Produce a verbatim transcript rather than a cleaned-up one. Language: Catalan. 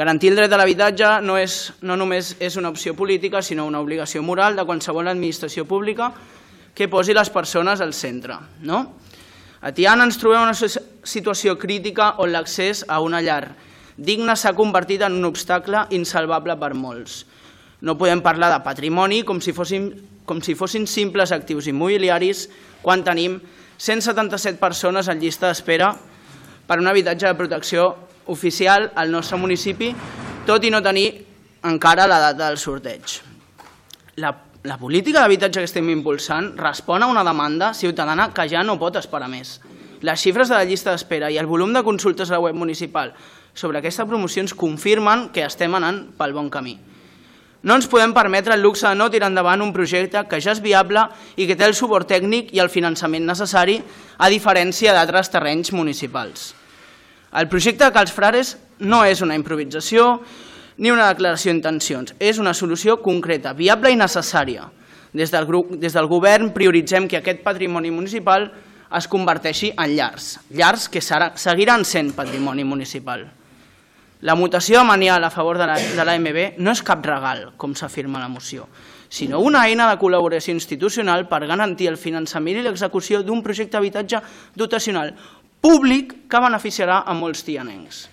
Garantir el dret a l'habitatge no, és, no només és una opció política, sinó una obligació moral de qualsevol administració pública que posi les persones al centre. No? A Tiana ens trobem en una situació crítica on l'accés a una llar digna s'ha convertit en un obstacle insalvable per molts. No podem parlar de patrimoni com si fossin, com si fossin simples actius immobiliaris quan tenim cent setanta-set persones en llista d'espera per un habitatge de protecció oficial al nostre municipi, tot i no tenir encara la data del sorteig. La, la política d'habitatge que estem impulsant respon a una demanda ciutadana que ja no pot esperar més. Les xifres de la llista d'espera i el volum de consultes a la web municipal sobre aquesta promoció ens confirmen que estem anant pel bon camí. No ens podem permetre el luxe de no tirar endavant un projecte que ja és viable i que té el suport tècnic i el finançament necessari, a diferència d'altres terrenys municipals. El projecte de Cals Frares no és una improvisació ni una declaració d'intencions, és una solució concreta, viable i necessària. Des del, grup, des del govern prioritzem que aquest patrimoni municipal es converteixi en llars, llars que serà, seguiran sent patrimoni municipal. La mutació amanial a favor de l'A M B no és cap regal, com s'afirma a la moció, sinó una eina de col·laboració institucional per garantir el finançament i l'execució d'un projecte d'habitatge dotacional públic que beneficiarà a molts tianencs.